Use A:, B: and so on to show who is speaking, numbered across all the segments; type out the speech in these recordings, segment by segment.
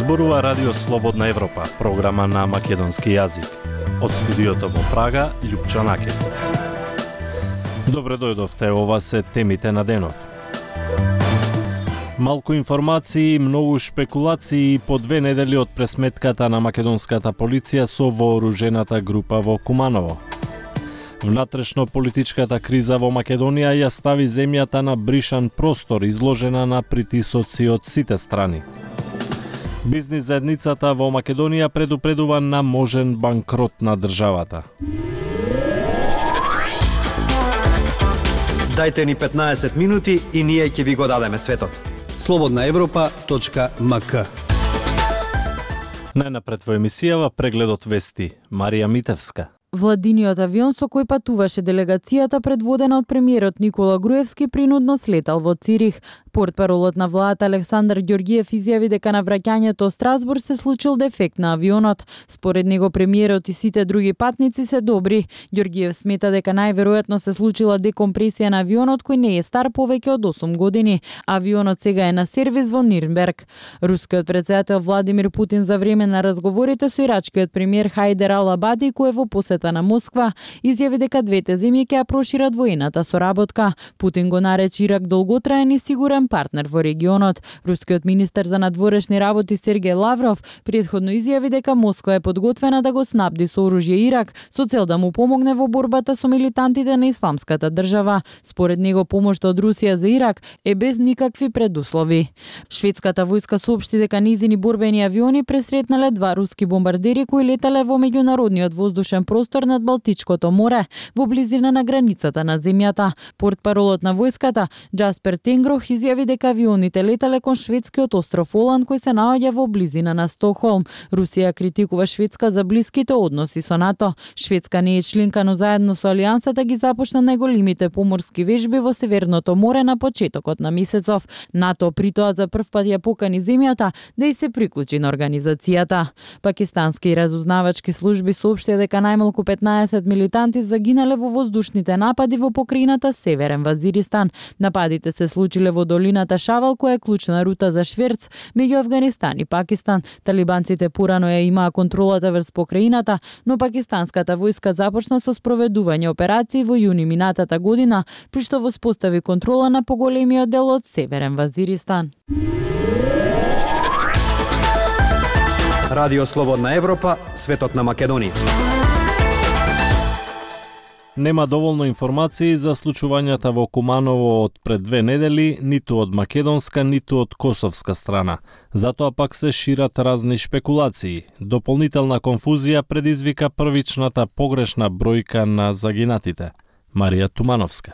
A: Зборува Радио Слободна Европа, програма на македонски јазик. Од студиото во Прага, Љупчо Накев. Добре дојдовте, ова се темите на денов. Малку информации, многу шпекулации по 2 недели од пресметката на македонската полиција со вооружената група во Куманово. Внатрешно политичката криза во Македонија ја стави земјата на бришан простор, изложена на притисоци од сите страни. Бизнис заедницата во Македонија предупредува на можен банкрот на државата.
B: Дајте ни 15 минути и ние ќе ви го дадеме светот.
C: slobodnaevropa.mk.
A: Најнапред во емисијава прегледот вести. Марија Митевска.
D: Владиниот авион со кој патуваше делегацијата предводена од премиерот Никола Груевски принудно слетал во Цирих. Портпаролот на владата Александар Ѓорѓиев изјави дека на враќањето од Страсбур се случил дефект на авионот. Според него премиерот и сите други патници се добри. Ѓорѓиев смета дека најверојатно се случила декомпресија на авионот кој не е стар повеќе од 8 години. Авионот сега е на сервис во Нирнберг. Рускиот претседател Владимир Путин за време на разговорите со ирачкиот премиер Хајдер Ал-Абади, кој е во посета на Москва, изјави дека двете земји ќе ја прошират воената соработка. Путин го нарече Ирак долготраен и сигурен партнер во регионот. Рускиот министер за надворешни работи Сергеј Лавров претходно изјави дека Москва е подготвена да го снабди со оружје Ирак со цел да му помогне во борбата со милитантите на Исламската држава. Според него помошта од Русија за Ирак е без никакви предуслови. Шведската војска соопшти дека низини борбени авиони пресретнале 2 руски бомбардери кои летале во меѓународниот воздушен простор над Балтичкото море во близина на границата на земјата. Портпаролот на војската Джаспер Тенгрох изјави дека авионите летале кон шведскиот остров Оланд кој се наоѓа во близина на Стокхолм. Русија критикува Шведска за блиските односи со НАТО. Шведска не е членка, но заедно со Алијансата ги започна најголемите поморски вежби во Северното море на почетокот на месецов. НАТО притоа за прв пат ја покани земјата да и се приклучи на организацијата. Пакистански разузнавачки служби соопштија дека најмалку 15 милитанти загинале во воздушните напади во покрајината Северен Вазиристан. Нападите се случиле во долината Шавал, која е клучна рута за шверц меѓу Афганистан и Пакистан. Талибанците порано ја имаа контролата врз покрајината, но пакистанската војска започна со спроведување операции во јуни минатата година, при што воспостави контрола на поголемиот дел од Северен Вазиристан.
B: Радио Слободна Европа, светот на Македонија.
A: Нема доволно информации за случувањата во Куманово од пред 2 недели, ниту од македонска, ниту од косовска страна. Затоа пак се шират разни шпекулации. Дополнителна конфузија предизвика првичната погрешна бројка на загинатите. Марија Тумановска.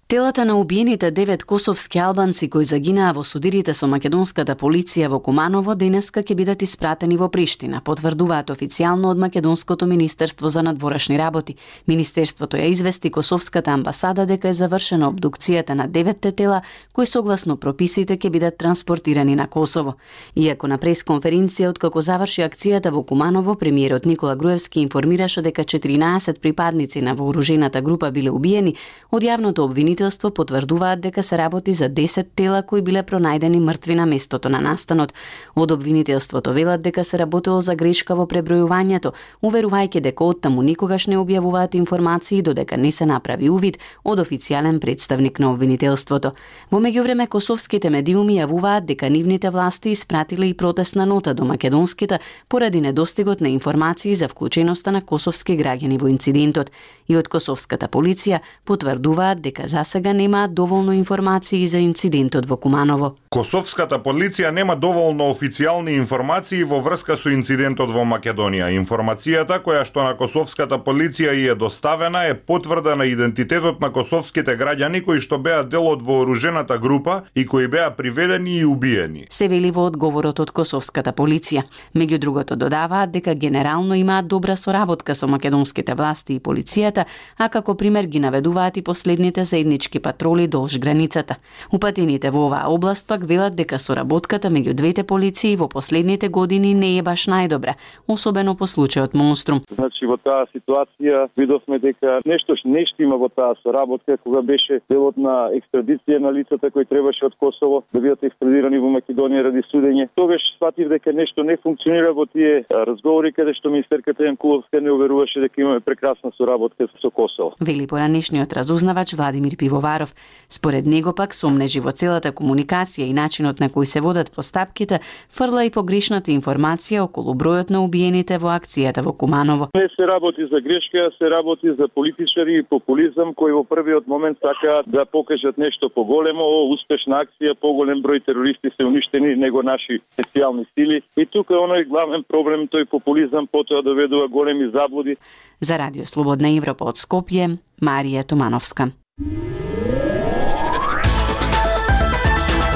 E: Телата на убиените 9 косовски албанци кои загинаа во судирите со македонската полиција во Куманово денеска ќе бидат испратени во Приштина, потврдуваат официјално од Македонското министерство за надворешни работи. Министерството ја извести косовската амбасада дека е завршена обдукцијата на 9 тела кои согласно прописите ќе бидат транспортирани на Косово. Иако на пресконференција откако заврши акцијата во Куманово, премиерот Никола Груевски информираше дека 14 припадници на вооружената група биле убиени, од јавното обвинителство потврдуваат дека се работи за 10 тела кои биле пронајдени мртви на местото на настанот. Од обвинителството велат дека се работело за грешка во пребројувањето, уверувајќи дека оттаму никогаш не објавуваат информации додека не се направи увид од официјален представник на обвинителството. Во меѓувреме косовските медиуми јавуваат дека нивните власти испратиле и протестна нота до македонските поради недостигот на информации за вклученоста на косовски граѓани во инцидентот. И од косовската полиција потврдуваат дека за сега немаат доволно информации за инцидентот во Куманово.
F: Косовската полиција нема доволно официјални информации во врска со инцидентот во Македонија. Информацијата која што на косовската полиција и е доставена е потврда на идентитетот на косовските граѓани кои што беа дел од вооружената група и кои беа приведени и убиени.
E: Се вели во одговорот од косовската полиција. Меѓу другото додаваат дека генерално имаат добра соработка со македонските власти и полицијата, а како пример ги наведуваат и последните заеднички патроли долж границата. Упатените во оваа област пак велат дека соработката меѓу двете полиции во последните години не е баш најдобра, особено по случајот Монструм.
C: Значи во таа ситуација видовме дека нешто има во таа соработка кога беше делот на екстрадиција на лицата кои требаше од Косово да бидат екстрадирани во Македонија ради судење. Тогаш сватив дека нешто не функционира во тие разговори каде што министерката Јанкуловска не уверуваше дека имаме прекрасна соработка со Косово.
E: Вели поранешниот разузнавач Владимир Пивоваров. Според него пак сомнежи во целата комуникација и начинот на кој се водат постапките фрла и погрешната информација околу бројот на убиените во акцијата во Куманово.
C: Не се работи за грешка, се работи за политичари и популизам кои во првиот момент сакаат да покажат нешто поголемо, успешна акција, поголем број терористи се уништени него наши специјални сили. И тука оној главен проблем, тој популизам потоа доведува големи заблуди.
E: За Радио Слободна Европа од Скопје, Марија Томановска.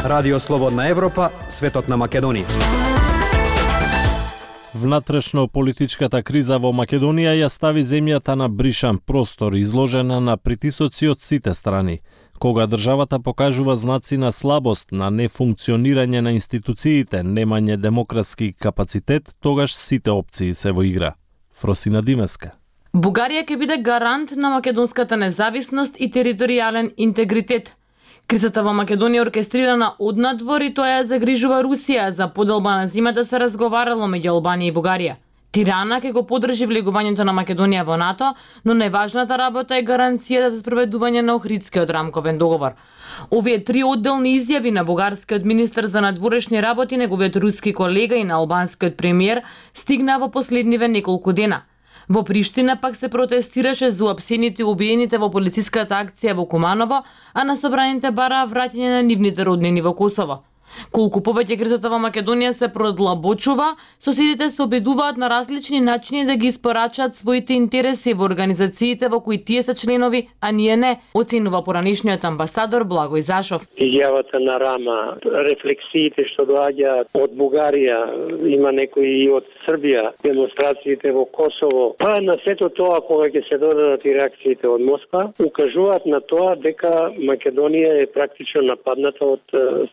B: Радио Слободна Европа, светот на Македонија.
A: Внатрешно-политичката криза во Македонија ја стави земјата на бришан простор, изложена на притисоци од сите страни. Кога државата покажува знаци на слабост, на нефункционирање на институциите, немање демократски капацитет, тогаш сите опции се во игра. Фросина Димеска.
G: Бугарија ќе биде гарант на македонската независност и територијален интегритет. Кризата во Македонија е оркестрирана однадвор и тоа ја загрижува Русија. За поделба на зимата се разговарало меѓу Албанија и Бугарија. Тирана ќе го подржи влегувањето на Македонија во НАТО, но најважната работа е гаранцијата за спроведување на Охридскиот рамковен договор. Овие три одделни изјави на бугарскиот министер за надворешни работи, неговиот руски колега и на албанскиот премиер стигнаа во последниве неколку дена. Во Приштина пак се протестираше за уапсените и убиените во полициската акција во Куманово, а на собраните бараа враќање на нивните роднини во Косово. Колку повеќе кризата во Македонија се продлабочува, соседите се обидуваат на различни начини да ги испорачаат своите интереси во организациите во кои тие се членови, а ние не, оценува поранешниот амбасадор Благој Зашов.
H: Изјавата на Рама, рефлексиите што доаѓаат од Бугарија, има некои и од Србија, демонстрациите во Косово, па на сето тоа кога ќе се додадат и реакциите од Москва, укажуваат на тоа дека Македонија е практично нападната од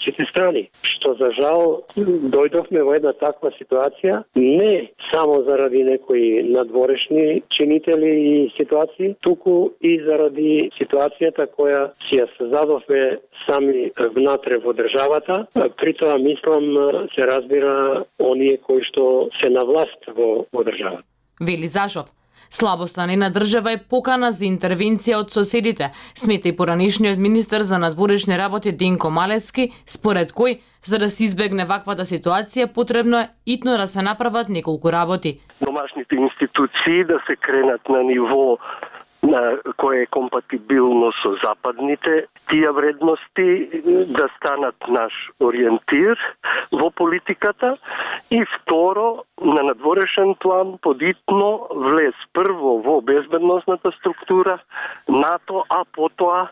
H: сите страни. Што за жал дојдовме во една таква ситуација не само заради некои надворешни чинители и ситуации, туку и заради ситуацијата која си ја создадовме сами внатре во државата. При тоа мислам се разбира оние кои што се на власт во државата.
G: Вели Зашов. Слабоста на една држава е покана за интервенција од соседите, смета и поранешниот министер за надворешни работи Денко Малевски, според кој, за да се избегне ваквата ситуација, потребно е итно да се направат неколку работи.
H: Домашните институции да се кренат на ниво на кое е компатибилно со западните тие вредности, да станат наш ориентир во политиката и второ, на надворешен план подитно влез прво во безбедносната структура НАТО, а потоа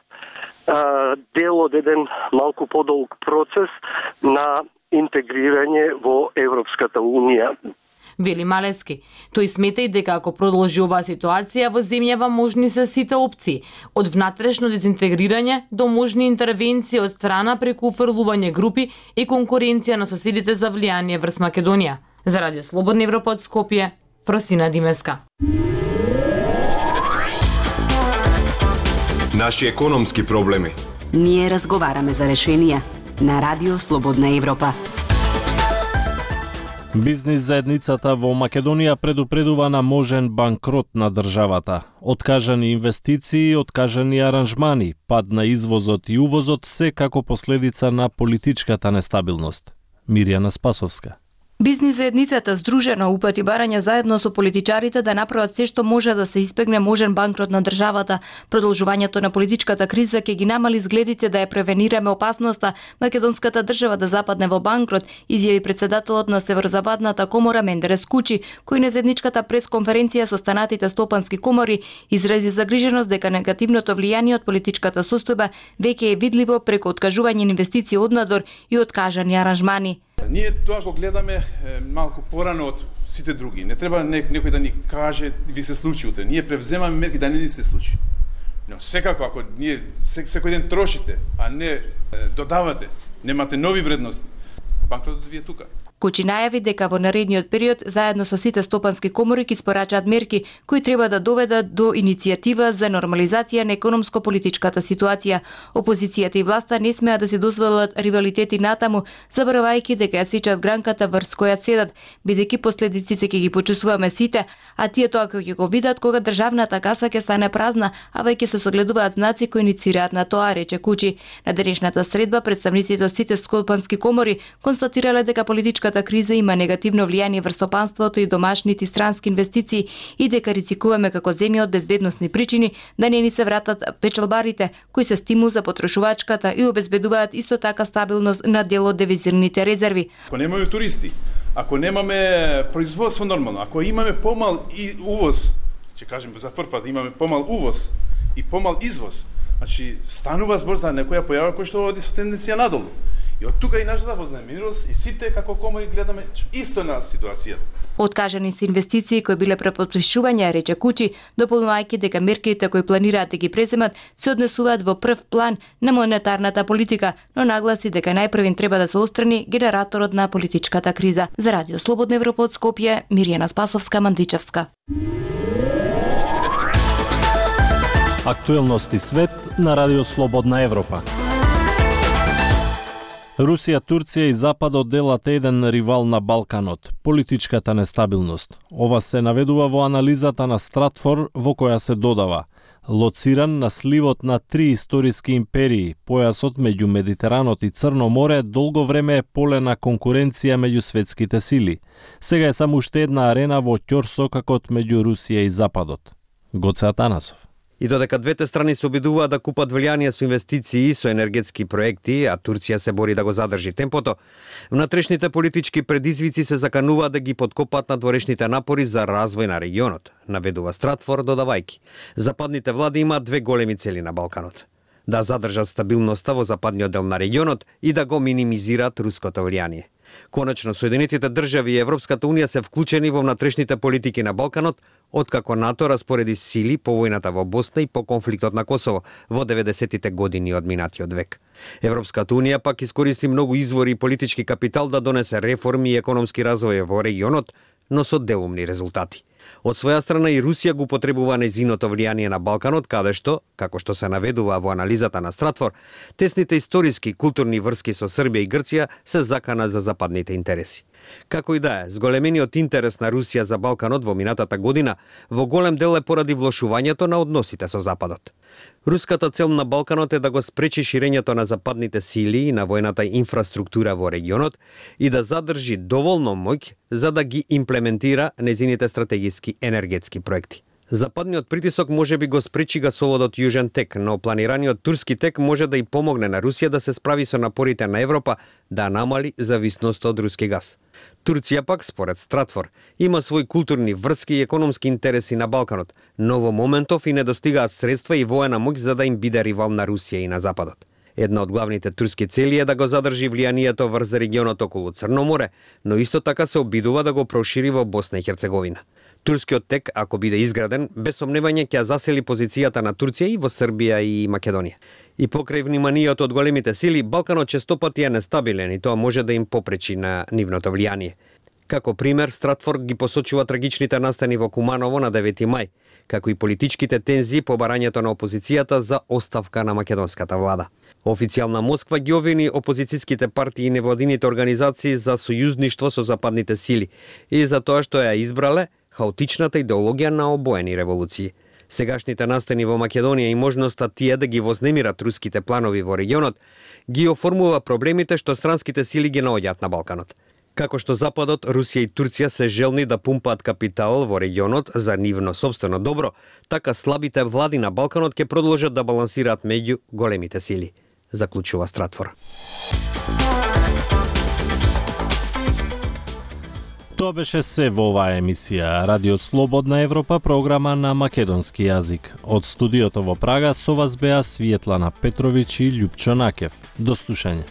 H: дел од еден малку подолг процес на интегрирање во Европската Унија.
G: Вели Малевски. Тој смета и дека ако продолжи оваа ситуација во земјава можни се сите опции, од внатрешно дезинтегрирање до можни интервенции од страна преку уфрлување групи и конкуренција на соседите за влијание врз Македонија. За Радио Слободна Европа од Скопје, Фросина Димеска.
I: Наши економски проблеми.
E: Ние разговараме за решенија на Радио Слободна Европа.
A: Бизнис заедницата во Македонија предупредува на можен банкрот на државата. Откажани инвестиции, откажани аранжмани, пад на извозот и увозот се како последица на политичката нестабилност. Мирјана Спасовска.
J: Бизнис заедницата здружена упати барања заедно со политичарите да направат се што може да се избегне можен банкрот на државата. Продолжувањето на политичката криза ќе ги намали изгледите да ја превенираме опасноста македонската држава да западне во банкрот, изјави председателот на Северозападната комора Мендерес Кучи, кој на заедничката пресконференција со останатите стопански комори изрази загриженост дека негативното влијание од политичката состојба веќе е видливо преку откажување инвестиции однадвор и откажани аранжмани.
K: Ние тоа го гледаме малку порано од сите други. Не треба некој да ни каже ви се случи утре. Ние превземаме мерки да не ни се случи. Но секако ако ние секој ден трошите, а не додавате, немате нови вредности, банкротот ви е тука.
J: Кучи најави дека во наредниот период заедно со сите стопански комори ќе испорачаат мерки кои треба да доведат до иницијатива за нормализација на економско-политичката ситуација. Опозицијата и власта не смеа да се дозволат ривалитети натаму, заборавајќи дека ја сечат гранката врз која седат, бидејќи последиците ќе ги почувствуваме сите, а тие тоа ќе го видат кога државната каса ќе стане празна, а веќе се согледуваат знаци кои иницираат на тоа, рече Кучи. На денешната средба представниците од сите стопански комори констатирале дека политичката криза има негативно влијание врз стопанството и домашните странски инвестиции и дека ризикуваме како земја од безбедносни причини да не ни се вратат печалбарите, кои се стимул за потрошувачката и обезбедуваат исто така стабилност на дел од девизирните резерви.
K: Ако немаме туристи, ако немаме производство нормално, ако имаме помал и увоз, ќе кажем за прв пат имаме помал увоз и помал извоз, значи станува збор за некоја појава која што оди со тенденција надолу. И од тука и нашата вознемиреност и сите како комори гледаме исто на ситуацијата.
J: Откажани се инвестиции кои биле препотпишувања, рече Кучи, дополнувајќи дека мерките кои планираат да ги преземат се однесуваат во прв план на монетарната политика, но нагласи дека најпрвин треба да се отстрани генераторот на политичката криза. За Радио Слободна Европа од Скопје, Миријана Спасовска, Мандичевска.
A: Актуелности свет на Радио Слободна Европа. Русија, Турција и Западот делат еден ривал на Балканот – политичката нестабилност. Ова се наведува во анализата на Стратфор, во која се додава: лоциран на сливот на три историски империи, појасот меѓу Медитеранот и Црно море долго време е поле на конкуренција меѓу светските сили. Сега е само уште една арена во ќорсокакот меѓу Русија и Западот. Гоце Атанасов.
B: И додека двете страни се обидуваат да купат влијание со инвестиции и со енергетски проекти, а Турција се бори да го задржи темпото, внатрешните политички предизвици се закануваат да ги подкопат надворешните напори за развој на регионот, наведува Стратфор, додавајќи: западните влади имаат две големи цели на Балканот: да задржат стабилноста во западниот дел на регионот и да го минимизираат руското влијание. Конечно, Соединетите држави и Европската унија се вклучени во внатрешните политики на Балканот, откако НАТО распореди сили по војната во Босна и по конфликтот на Косово во 90-тите години од минатиот век. Европската унија пак искористи многу извори и политички капитал да донесе реформи и економски развој во регионот, но со делумни резултати. Од своја страна и Русија го потребува нејзиното влијание на Балканот, каде што, како што се наведува во анализата на Стратфор, тесните историски и културни врски со Србија и Грција се закана за западните интереси. Како и да е, зголемениот интерес на Русија за Балканот во минатата година во голем дел е поради влошувањето на односите со Западот. Руската цел на Балканот е да го спречи ширењето на западните сили и на војната инфраструктура во регионот и да задржи доволно моќ за да ги имплементира незините стратегиски енергетски проекти. Западниот притисок може би го спречи гасоводот Јужен тек, но планираниот турски тек може да и помогне на Русија да се справи со напорите на Европа да намали зависноста од руски газ. Турција пак, според Стратфор, има свои културни врски и економски интереси на Балканот, но во моментов и не достигаат средства и воена моќ за да им биде ривал на Русија и на Западот. Една од главните турски цели е да го задржи влијанието врз регионот околу Црно море, но исто така се обидува да го прошири во Босна и Херцеговина. Турскиот тек, ако биде изграден, без сомневање ќе засели позицијата на Турција и во Србија и Македонија. И покрај вниманието од големите сили, Балканот честопати е нестабилен и тоа може да им попречи на нивното влијание. Како пример, Стратфор ги посочува трагичните настани во Куманово на 9 мај, како и политичките тензии по барањето на опозицијата за оставка на македонската влада. Официјална Москва ги обвини опозицијските партии и невладините организации за сојузништво со западните сили и за тоа што ја избрале хаотичната идеологија на обоени револуции. Сегашните настани во Македонија и можноста тие да ги вознемират руските планови во регионот ги оформува проблемите што странските сили ги наоѓаат на Балканот. Како што Западот, Русија и Турција се желни да пумпаат капитал во регионот за нивно сопствено добро, така слабите влади на Балканот ќе продолжат да балансираат меѓу големите сили, заклучува Стратфор.
A: Тоа беше се во оваа емисија Радио Слободна Европа, програма на македонски јазик. Од студиото во Прага со вас беа Светлана Петровиќ и Љупчо Накев. До слушање.